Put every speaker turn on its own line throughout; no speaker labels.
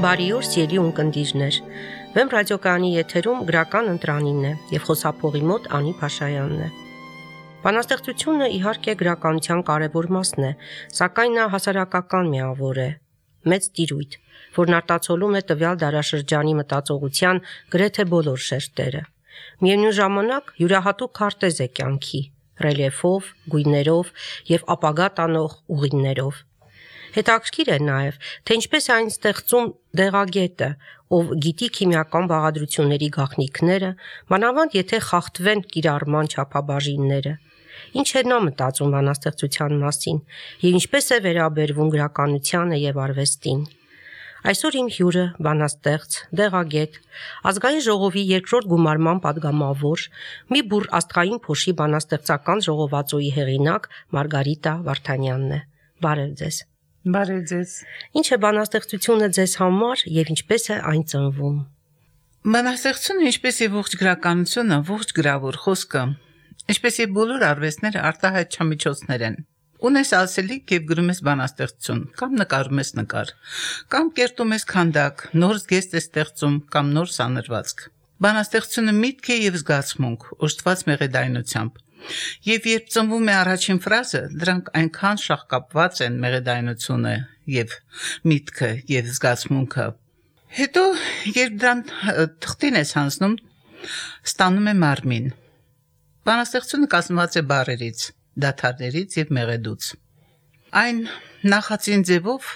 Բարի օր, սիրելի ունկնդիրներ։ Վեմ ռադիոկայանի եթերում գրական ընտրանինն է եւ խոսափողի մոտ Անի Փաշայանն է։ Բանաստեղծությունը իհարկե գրականության կարևոր մասն է, սակայն նա հասարակական միավոր է, մեծ տիրույթ, որն արտացոլում է տվյալ դարաշրջանի մտածողության գրեթե բոլոր շերտերը։ Միևնույն ժամանակ յուրահատուկ քարտեզ է կյանքի, ռելիեֆով, գույներով եւ ապագա տանող ուղիներով։ Հետաքրքիր է նաև, թե ինչպես է այն ստեղծում դեղագետը, ով գիտի քիմիական բաղադրությունների գաղտնիքները, մանավանդ եթե խախտվեն կիրառման չափաբաժինները։ Ինչ է նա մտածում բանաստեղծության մասին եւ ինչպես է վերաբերվում գրականությանը եւ արվեստին։ Այսօր իմ հյուրը բանաստեղծ, դեղագետ, Ազգային ժողովի երկրորդ գումարման падգամավոր, մի բուռ աստղային փոշի բանաստեղծական ժողովածուի հեղինակ Մարգարիտա Վարդանյանն է։ Բարև ձեզ։
Բարև ձեզ։
Ինչ է բանաստեղծությունը ձեզ համար եւ ինչպես է այն ծնվում։
Բանաստեղծությունը, ինչպես եւ ողջ գրականությունը, ողջ գրավոր խոսքը, ինչպես եւ բոլոր արվեստները արտահայտչամիջոցներ են։ Ունես ասելիք եւ գրում ես բանաստեղծություն, կամ նկարում ես նկար, կամ կերտում ես քանդակ, նոր զգեստ ես ստեղծում, կամ նոր սանրվածք։ Բանաստեղծությունը միտք է եւ զգացմունք, ուշտված մեղեդայնությամբ։ Եվ երբ ծնվում է առաջին ֆրազը, դրանք այնքան շաղկապված են մեղեդայնությունը եւ միտքը եւ զգացմունքը։ Հետո երբ դրան թղթին ես հանձնում, ստանում է մարմին։ Բանաստեղծությունը կազմված է բառերից, դադարներից եւ մեղեդուց։ Այն նախածին ձևով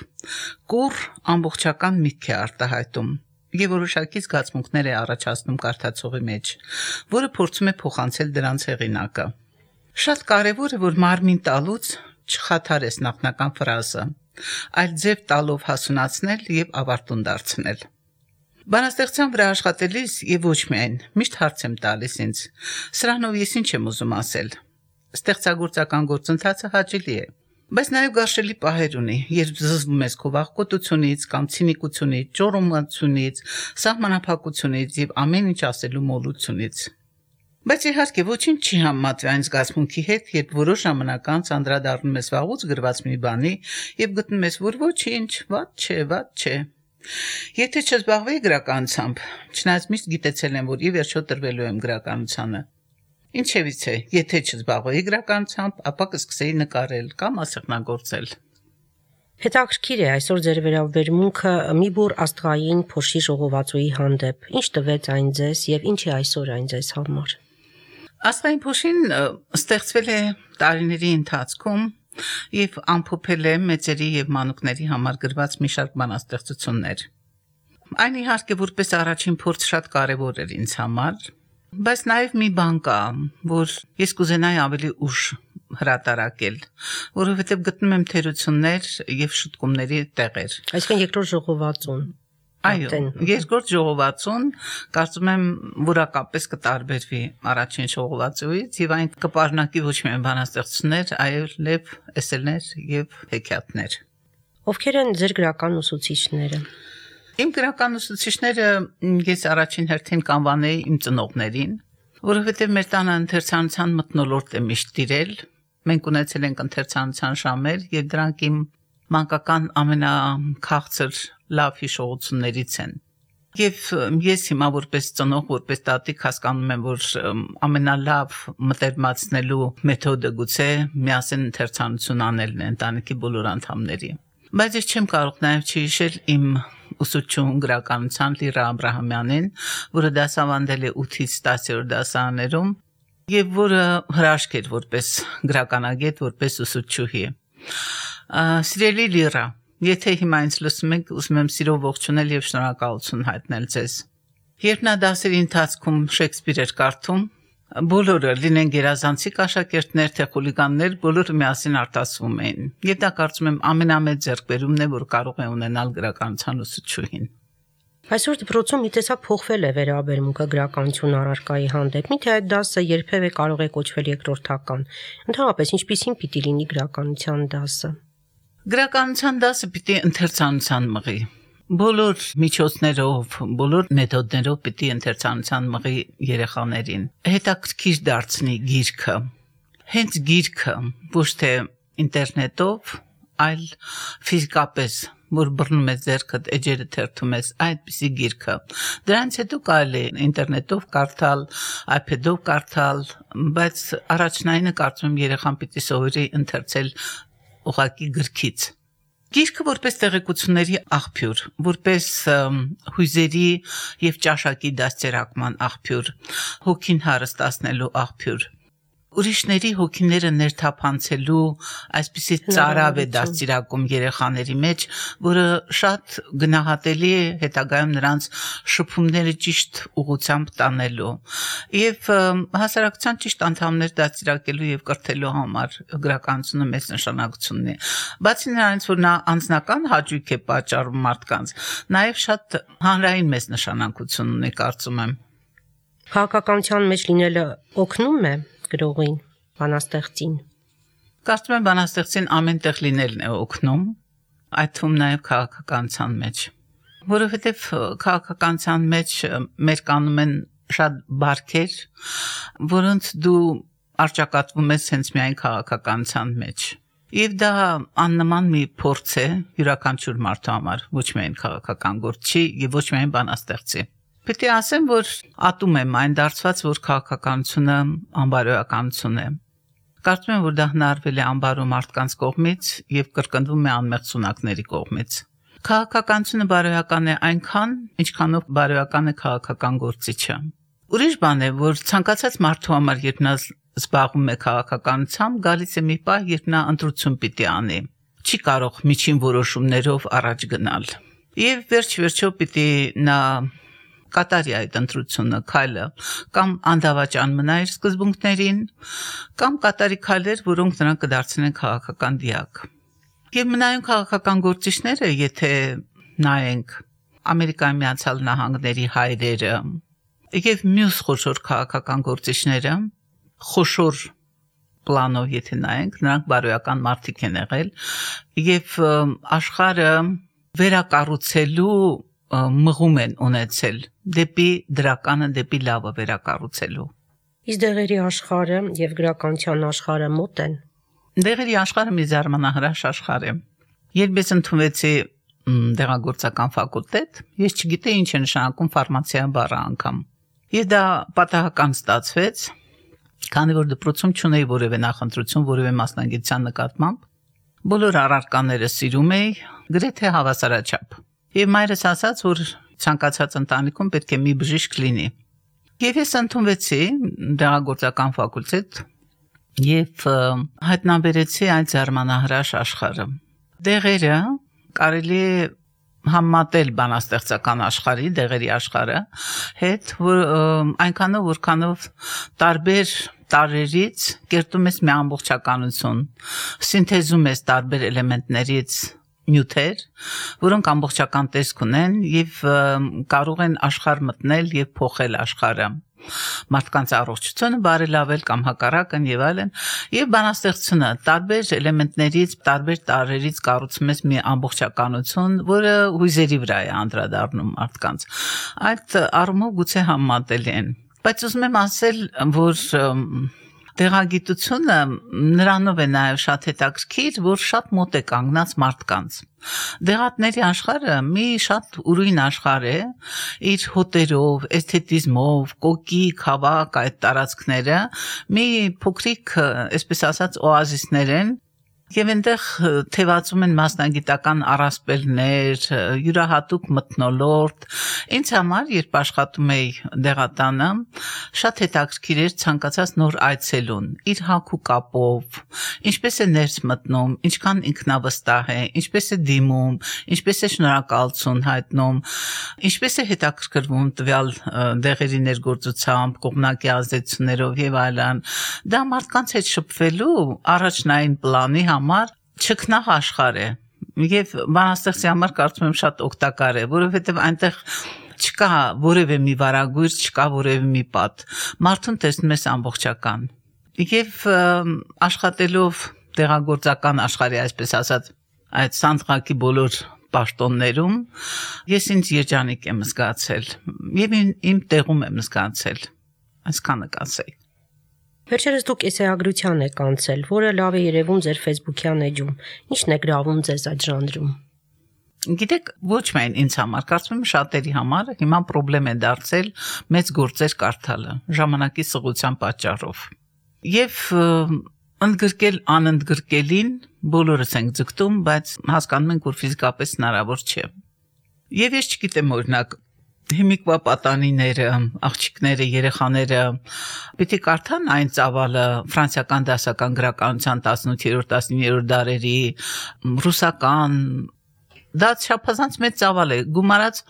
կուռ ամբողջական միտք է արտահայտում եւ որոշակի զգացմունքներ է առաջացնում կարդացողի մեջ, որը փորձում է փոխանցել դրանց հեղինակը։ Շատ կարեւոր է, որ մարմին տալուց չխաթարես նախնական ֆրազը, այլ ձև տալով հասունացնել եւ ավարտուն դարձնել։ Բանաստեղծության վրա աշխատելիս եւ ոչ միայն միշտ հարց եմ տալիս ինձ. սրանով ես ինչ եմ ուզում ասել։ Ստեղծագործական գործընթացը հաճելի է, բայց նաև գարշելի պահեր ունի, երբ զզվում ես քո վախկոտությունից կամ ցինիկությունից, ճոռոմանությունից, սահմանափակությունից եւ ամեն ինչ ասելու մոլությունից։ Բայց իհարկե ոչինչ չի համեմատվի այն զգացմունքի հետ, երբ որոշ ժամանակ անց անդրադառնում ես վաղուց գրված մի բանի եւ գտնում ես, որ ոչինչ, վատ չէ։ Եթե չզբաղվեի գրականությամբ, չնայած միշտ գիտեցել եմ, որ ի վերջո տրվելու եմ գրականությանը։ Ինչևից է, եթե չզբաղվեի գրականությամբ, ապա կսկսեի նկարել կամ ասեղնագործել։
Հետաքրքիր է այսօր ձեր վերաբերմունքը մի բուռ աստղային փոշի ժողովածուի հանդեպ։ Ինչ տվեց այն ձեզ եւ ինչ է այսօր այն ձեզ համար։
Աստղային փոշին ստեղծվել է տարիների ընթացքում եւ ամփոփել է մեծերի եւ մանուկների համար գրված մի շարք բանաստեղծություններ։ Այն իհարկե որպես առաջին փորձ շատ կարեւոր էր ինձ համար, բայց նաեւ մի բան կա, որ ես կուզենայի ավելի ուշ հրատարակել, որովհետեւ գտնում եմ թերություններ եւ շտկումների տեղեր։
Այսինքն երկրորդ ժողովածուն։
Այո, երկրորդ ժողովածուն կարծում եմ որակապես կտարբերվի առաջին ժողովածուից եւ այն կպարունակի ոչ միայն բանաստեղծություններ, այլև էսսեներ եւ հեքիաթներ։
Ովքեր են ձեր գրական ուսուցիչները։
Իմ գրական ուսուցիչները ես առաջին հերթին կանվանեի իմ ծնողներին, որովհետեւ մեր տանը ընթերցանության մթնոլորտ է միշտ տիրել։ Մենք ունեցել ենք ընթերցանության ժամեր եւ դրանք իմ մանկական ամենաքաղցր լավ հիշողություններից են։ Եվ ես հիմա որպես ծնող, որպես տատիկ հասկանում եմ, որ ամենալավ մտերմացնելու մեթոդը գուցե միասին ընթերցանություն անելն է ընտանիքի բոլոր անդամների։ Բայց ես չեմ կարող նաև չհիշել իմ ուսուցչուհուն գրականության Լիրա Աբրահամյանին, որը դասավանդել է 8-ից 10-րդ դասարաններում եւ որը հրաշք էր որպես գրականագետ, որպես ուսուցչուհի։ Սիրելի Լիրա, եթե հիմա ինձ լսում եք, ուզում եմ սիրով ողջունել եւ շնորհակալություն հայտնել ձեզ։ Երբ նա դասերի ընթացքում Շեքսպիր էր կարդում, բոլորը, լինեն գերազանցիկ աշակերտներ, թե խուլիգաններ, բոլորը միասին արտասվում էին։ Եվ դա կարծում եմ ամենամեծ ձեռքբերումն է, որ կարող է ունենալ գրականության ուսուցչուհին։
Այսօր դպրոցում մի տեսակ փոխվել է վերաբերմունքը գրականություն առարկայի հանդեպ։ Միթե այդ դասը երբևէ կարող է կոչվել երկրորդական։ Ընդհանրապես ինչպիսին պիտի լինի գրականության դասը։
Գրականության դասը պիտի ընթերցանության մղի։ Բոլոր միջոցներով, բոլոր մեթոդներով պիտի ընթերցանության մղի երեխաներին։ Հետաքրքիր դարձնի գիրքը։ Հենց գիրքը, ոչ թե ինտերնետով, այլ ֆիզիկապես որ բռնում ես ձեռքդ, էջերը թերթում ես, այդպիսի գիրքը։ Դրանից հետո կարելի է ինտերնետով կարդալ, iPad-ով կարդալ, բայց առաջնայինը կարծում եմ երեխան պիտի սովորի ընթերցել ուղղակի գրքից։ Գիրքը որպես տեղեկությունների աղբյուր, որպես հույզերի եւ ճաշակի դաստիարակման աղբյուր, հոգին հարստացնելու աղբյուր, ուրիշների հոգիները ներթափանցելու այսպիսի ծարավ է դաստիարակում երեխաների մեջ, որը շատ գնահատելի է հետագայում նրանց շփումները ճիշտ ուղղությամբ տանելու եւ հասարակության ճիշտ անդամներ դաստիարակելու եւ կրթելու համար գրականությունը մեծ նշանակություն ունի։ Բացի նրանից, որ նա անձնական հաճույք է պատճառում մարդկանց, նաեւ շատ հանրային մեծ նշանակություն ունի, կարծում եմ։
Քաղաքականության մեջ լինելը օգնում է գրողին, բանաստեղծին։
Կարծում եմ բանաստեղծին ամենտեղ լինելն է օգնում, այդ թվում նաև քաղաքականության մեջ, որովհետև քաղաքականության մեջ մեր կանում են շատ բարքեր, որոնց դու արճակատվում ես հենց միայն քաղաքականության մեջ։ Եվ դա աննման մի փորձ է յուրաքանչյուր մարդու համար, ոչ միայն քաղաքական գործչի եւ ոչ միայն բանաստեղծի։ Պետք է ասեմ, որ ատում եմ այն դարձված, որ քաղաքականությունը անբարոյականություն է։ Կարծում եմ, որ դա հնարվել է անբարո մարդկանց կողմից եւ կրկնվում է անմեղ սունակների կողմից։ Քաղաքականությունը բարոյական է այնքան, ինչքանով բարոյական է քաղաքական գործիչը։ Ուրիշ բան է, որ ցանկացած մարդու համար, երբ նա զբաղվում է քաղաքականությամբ, գալիս է մի պահ, երբ նա ընտրություն պիտի անի։ Չի կարող միջին որոշումներով առաջ գնալ։ Եվ վերջ-վերջո պիտի նա կատարի այդ ընտրությունը, քայլը, կամ անդավաճան մնա իր սկզբունքներին, կամ կատարի քայլեր, որոնք նրան կդարձնեն քաղաքական դիակ։ Եվ մնայուն քաղաքական գործիչները, եթե նայենք Ամերիկայի Միացյալ Նահանգների հայրերը եւ մյուս խոշոր քաղաքական գործիչները, խոշոր պլանով եթե նայենք, նրանք բարոյական մարդիկ են եղել եւ աշխարհը վերակառուցելու մղում են ունեցել դեպի դրականը, դեպի լավը վերակառուցելու։
Իսկ դեղերի աշխարհը եւ գրականության աշխարհը մոտ են։
Դեղերի աշխարհը մի զարմանահրաշ աշխարհ է։ Երբ ես ընդունվեցի դեղագործական ֆակուլտետ, ես չգիտեի ինչ է նշանակում ֆարմացիա բառը անգամ։ Եվ դա պատահական ստացվեց, քանի որ դպրոցում չունեի որևէ նախընտրություն, որևէ մասնագիտության նկատմամբ։ Բոլոր առարկաները սիրում էի, գրեթե հավասարաչափ։ Եվ մայրս ասաց, որ ցանկացած ընտանիքում պետք է մի բժիշկ լինի։ Եվ ես ընդունվեցի դեղագործական ֆակուլտետ եւ հայտնաբերեցի այդ զարմանահրաշ աշխարհը։ Դեղերը կարելի է համատել բանաստեղծական աշխարհի, դեղերի աշխարհը հետ, որ այնքանով որքանով տարբեր տարրերից կերտում ես մի ամբողջականություն, սինթեզում ես տարբեր էլեմենտներից նյութեր, որոնք ամբողջական տեսք ունեն եւ կարող են աշխարհ մտնել եւ փոխել աշխարհը, մարդկանց առողջությունը բարելավել կամ հակառակն եւ այլն, եւ բանաստեղծությունը տարբեր էլեմենտներից, տարբեր տարրերից կառուցում ես մի ամբողջականություն, որը հույզերի վրա է անդրադառնում մարդկանց։ Այդ առումով գուցե համատելի են, բայց ուզում եմ ասել, որ դեղագիտությունը նրանով է նաև շատ հետաքրքիր, որ շատ մոտ է կանգնած մարդկանց։ Դեղատների աշխարհը մի շատ ուրույն աշխարհ է, իր հոտերով, էսթետիզմով, կոկիկ, հավաք այդ տարածքները մի փոքրիկ, այսպես ասած, օազիսներ են, եւ այնտեղ թևածում են մասնագիտական առասպելներ, յուրահատուկ մթնոլորտ։ Ինձ համար, երբ աշխատում էի դեղատանը, շատ հետաքրքիր էր ցանկացած նոր այցելուն, իր հագու կապով, ինչպես է ներս մտնում, ինչքան ինքնավստահ է, ինչպես է դիմում, ինչպես է շնորհակալություն հայտնում, ինչպես է հետաքրքրվում տվյալ դեղերի ներգործությամբ, կողմնակի ազդեցություններով եւ այլն։ Դա մարդկանց հետ շփվելու առաջնային պլանի համար չքնաղ աշխարհ է եւ բանաստեղծի համար կարծում եմ շատ օգտակար է, որովհետեւ այնտեղ չկա որևէ մի վարագույր, չկա որևէ մի պատ, մարդուն տեսնում ես ամբողջական եւ աշխատելով դեղագործական աշխարհի, այսպես ասած, այդ սանդղակի բոլոր պաշտոններում ես ինձ երջանիկ եմ զգացել եւ իմ տեղում եմ զգացել, այսքանը կասեի։
Վերջերս դուք էսեագրության եք անցել, որը լավ է երևում ձեր Facebook-յան էջում։ Ի՞նչն է գրավում ձեզ այդ ժանրում։
Գիտեք, ոչ միայն ինձ համար, կարծում եմ շատերի համար հիմա խնդրեմ է դարձել մեծ գործեր կարդալը, ժամանակի սղության պատճառով։ Եվ ընդգրկել անընդգրկելին բոլորս ենք ձգտում, բայց հասկանում ենք, որ ֆիզիկապես հնարավոր չէ։ Եվ ես չգիտեմ, օրինակ, հիմիկվա պատանիները, աղջիկները, երեխաները պիտի կարդան այն ծավալը ֆրանսիական դասական գրականության 18-րդ, 19-րդ դարերի, ռուսական, դա չափազանց մեծ ծավալ է, գումարած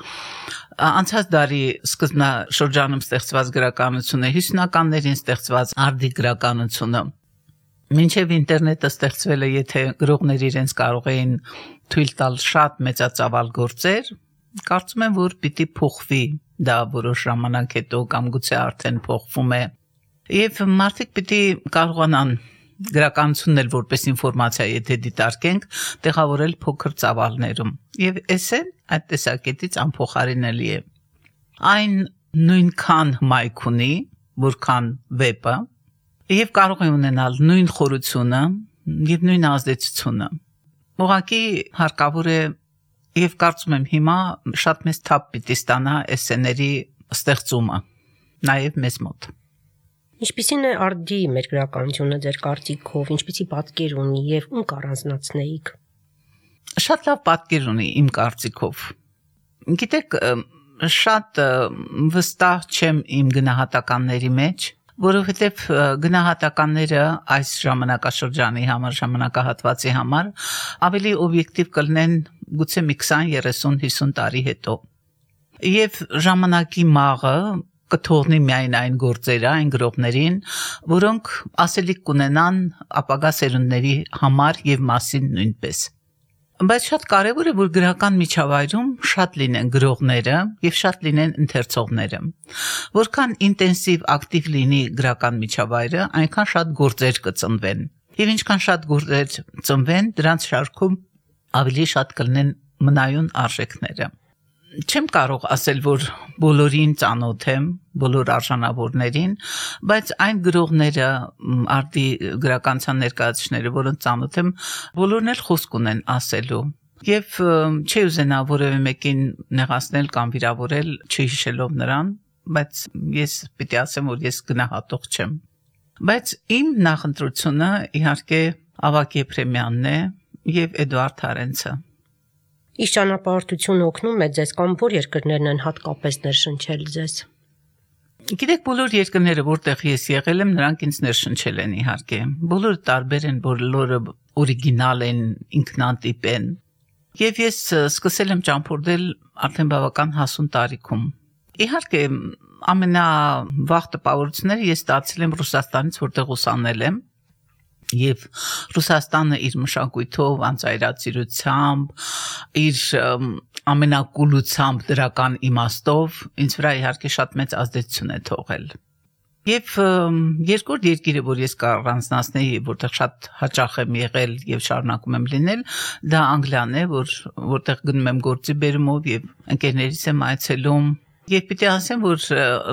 անցած դարի սկզբնաշրջանում ստեղծված գրականությունը, 50-ականներին ստեղծված արդի գրականությունը։ Մինչև ինտերնետը ստեղծվել է, եթե գրողները իրենց կարող էին թույլ տալ շատ մեծածավալ գործեր, կարծում եմ, որ պիտի փոխվի դա որոշ ժամանակ հետո կամ գուցե արդեն փոխվում է։ Եվ մարդիկ պիտի կարողանան գրականությունն էլ որպես ինֆորմացիա, եթե դիտարկենք, տեղավորել փոքր ծավալներում։ Եվ էսեն այդ տեսակետից անփոխարինելի է։ Այն նույնքան հմայք ունի, որքան վեպը, եւ կարող է ունենալ նույն խորությունը եւ նույն ազդեցությունը։ Ուղղակի հարկավոր է եւ կարծում եմ հիմա շատ մեծ թափ պիտի ստանա էսսեների ստեղծումը, նաեւ մեզ մոտ։
Ինչպիսին է արդի մեր գրականությունը ձեր կարծիքով, ինչպիսի պատկեր ունի եւ ում կառանձնացնեիք։
Շատ լավ պատկեր ունի իմ կարծիքով։ Գիտեք, շատ վստահ չեմ իմ գնահատականների մեջ, որովհետև գնահատականները այս ժամանակաշրջանի համար, ժամանակահատվածի համար ավելի օբյեկտիվ կլինեն գուցե մի 20, 30, 50 տարի հետո։ Եվ ժամանակի մաղը կթողնի միայն այն գործերը, այն գրողներին, որոնք ասելիք կունենան ապագա սերունդների համար եւ մասին նույնպես։ Բայց շատ կարևոր է, որ գրական միջավայրում շատ լինեն գրողները եւ շատ լինեն ընթերցողները։ Որքան ինտենսիվ ակտիվ լինի գրական միջավայրը, այնքան շատ գործեր կծնվեն։ Եվ ինչքան շատ գործեր ծնվեն, դրանց շարքում ավելի շատ կլինեն մնայուն արժեքները։ Չեմ կարող ասել, որ բոլորին ծանոթ եմ, բոլոր արժանավորներին, բայց այն գրողները, արդի գրականության ներկայացուցիչները, որոնց ծանոթ եմ, բոլորն էլ խոսք ունեն ասելու։ Եվ չի ուզենա որևէ մեկին նեղացնել կամ վիրավորել, չհիշելով նրան, բայց ես պիտի ասեմ, որ ես գնահատող չեմ։ Բայց իմ նախընտրությունը իհարկե Ավագ Եփրեմյանն է եւ Էդուարդ Հարենցը։
Իսկ ճանապարհորդությունը օգնում է ձեզ կամ որ երկրներն են հատկապես ներշնչել ձեզ։
Գիտեք, բոլոր երկրները, որտեղ ես եղել եմ, նրանք ինձ ներշնչել են իհարկե։ Բոլորը տարբեր են, բոլորը օրիգինալ են, ինքնատիպ են։ Եվ ես սկսել եմ ճամփորդել արդեն բավական հասուն տարիքում։ Իհարկե, ամենավաղ տպավորությունները ես ստացել եմ Ռուսաստանից, որտեղ ուսանել եմ։ Եվ Ռուսաստանը իր մշակույթով, անծայրացիրությամբ, իր ամենակուլությամբ դրական իմաստով ինձ վրա իհարկե շատ մեծ ազդեցություն է թողել։ Եվ երկրորդ երկիրը, որ ես կառանձնացնեի, որտեղ շատ հաճախ եմ եղել եւ շարունակում եմ լինել, դա Անգլիան է, որտեղ գնում եմ գործի բերումով եւ ընկերներիս եմ այցելում։ Եվ պիտի ասեմ, որ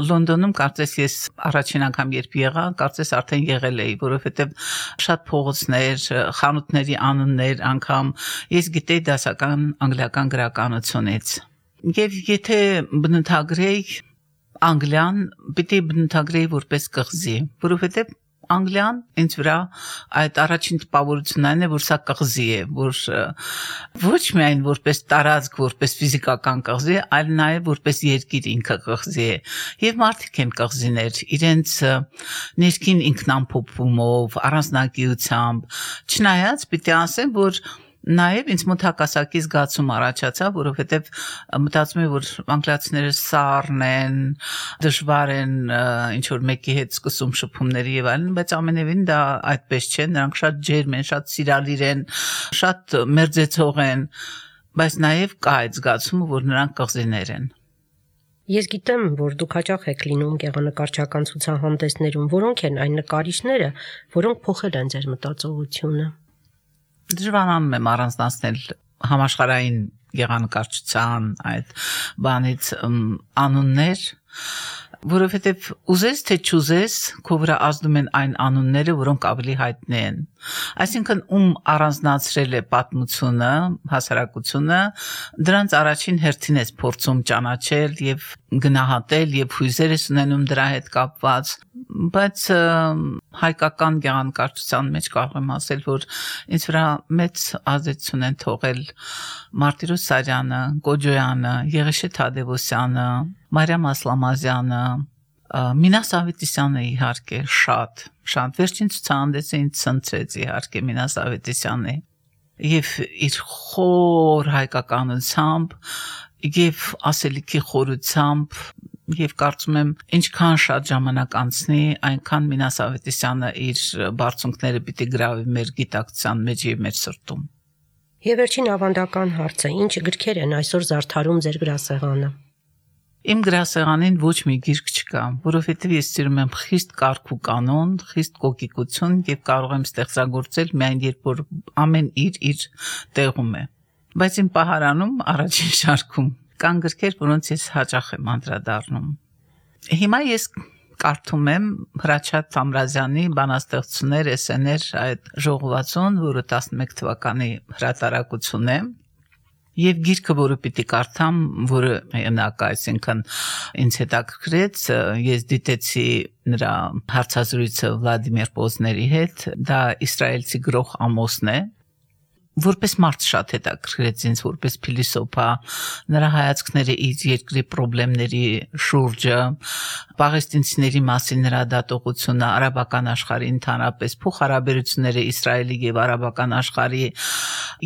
Լոնդոնում կարծես ես առաջին անգամ երբ եղա, կարծես արդեն եղել էի, որովհետև շատ փողոցներ, խանութների անուններ անգամ ես գիտեի դասական անգլիական գրականությունից։ Եվ եթե բնութագրեի Անգլիան, պիտի բնութագրեի որպես կղզի, որովհետև Անգլիան ինձ վրա այդ առաջին տպավորությունն այն է, որ սա կղզի է, որ ոչ միայն որպես տարածք, որպես ֆիզիկական կղզի, այլ նաև որպես երկիր ինքը կղզի է։ Եվ մարդիկ են կղզիներ, իրենց ներքին ինքնամփոփումով, առանձնակիությամբ, չնայած պիտի ասեմ, որ նաև ինձ մոտ հակասակի զգացում առաջացավ, որովհետև մտածում եմ, որ անգլիացիները սառն են, դժվար են, ինչ որ մեկի հետ սկսում շփումների եւ այլն, բայց ամենևին դա այդպես չէ, նրանք շատ ջերմ են, շատ սիրալիր են, շատ մերձեցող են, բայց նաև կա այդ զգացումը, որ նրանք կղզիներ են։
Ես գիտեմ, որ դուք հաճախ եք լինում գեղանկարչական ցուցահանդեսներում, որոնք են այն նկարիչները, որոնք փոխել են ձեր մտածողությունը։
Դժվարանում եմ առանձնացնել համաշխարհային գեղանկարչության այդ բանից անուններ, որովհետև ուզես թե չուզես, քո վրա ազդում են այն անունները, որոնք ավելի հայտնի են։ Այսինքն ում առանձնացրել է պատմությունը, հասարակությունը, դրանց առաջին հերթին ես փորձում ճանաչել եւ գնահատել եւ հույզեր ես ունենում դրա հետ կապված, բայց հայկական գեղանկարչության մեջ կարող եմ ասել, որ ինձ վրա մեծ ազդեցություն են թողել Մարտիրոս Սարյանը, Կոջոյանը, Եղիշե Թադևոսյանը, Մարիամ Ասլամազյանը, Մինաս Ավետիսյանը իհարկե շատ վերջին ցուցահանդեսը ինձ ցնցեց իհարկե Մինաս Ավետիսյանը եւ իր խոր հայկականությամբ եւ ասելիքի խորությամբ եւ կարծում եմ ինչքան շատ ժամանակ անցնի այնքան Մինաս Ավետիսյանը իր բարձունքները պիտի գրավի մեր գիտակցության մեջ եւ մեր սրտում։
Եվ վերջին ավանդական հարցը, ինչ գրքեր են այսօր զարդարում ձեր գրասեղանը։
Իմ գրասեղանին ոչ մի գիրք չկա, որովհետև ես սիրում եմ խիստ կարգ ու կանոն, խիստ կոկիկություն եւ կարող եմ ստեղծագործել միայն երբ որ ամեն իր տեղում է։ Բայց իմ պահարանում առաջին շարքում կան գրքեր, որոնց ես հաճախ եմ անդրադառնում։ Հիմա ես կարդում եմ Հրաչյա Թամրազյանի բանաստեղծություններ, էսսեներ այդ ժողովածուն, որը 11 թվականի հրատարակություն է։ Եվ գիրքը, որը պիտի կարդամ, որը մենակ, այսինքն ինձ հետաքրքրեց, ես դիտեցի նրա հարցազրույցը Վլադիմիր Պոզների հետ, դա իսրայելցի գրող Ամոսն է, որպես մարդ շատ հետաքրքրեց ինձ, որպես փիլիսոփա, նրա հայացքները իր երկրի խնդիրների շուրջը, պաղեստինցիների մասին նրա դատողությունը, արաբական աշխարհի ընդհանրապես փոխհարաբերությունները Իսրայելի եւ արաբական աշխարհի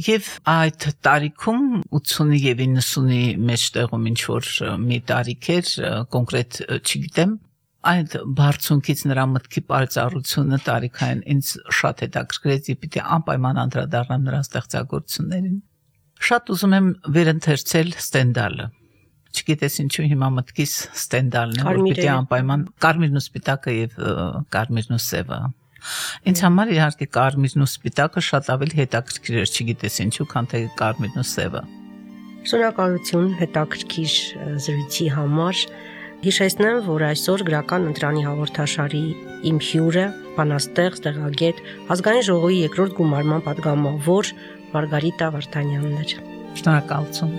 եւ այդ տարիքում 80-ի եւ 90-ի մեջտեղում ինչ որ մի տարիք էր, կոնկրետ չգիտեմ, այդ բարձունքից նրա մտքի պարծառությունը տարիքային ինձ շատ հետաքրքրեց եւ պիտի անպայման անդրադառնամ նրա ստեղծագործություններին։ Շատ ուզում եմ վերընթերցել Ստենդալը։ Չգիտես ինչու հիմա մտքիս Ստենդալն է, որ պիտի անպայման Կարմիրն ու Սպիտակը եւ Կարմիրն ու Սևը։ Ինձ համար իհարկե Կարմիրն ու Սպիտակը շատ ավելի հետաքրքիր էր, չգիտես ինչու, քան թե Կարմիրն ու Սևը։
Շնորհակալություն հետաքրքիր զրույցի համար։ Հիշեցնեմ, որ այսօր գրական ընտրանի հաղորդաշարի իմ հյուրը, բանաստեղծ, տեղագետ, ազգային ժողովի երկրորդ գումարման պատգամավոր Մարգարիտա Վարդանյանն էր։
Շնորհակալություն։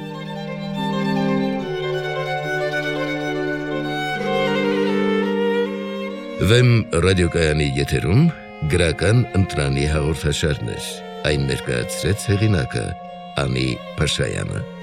Վեմ ռադիոկայանի եթերում գրական ընտրանի հաղորդաշարներ։ Այն ներկայացրեց հեղինակը Անի Փաշայանը։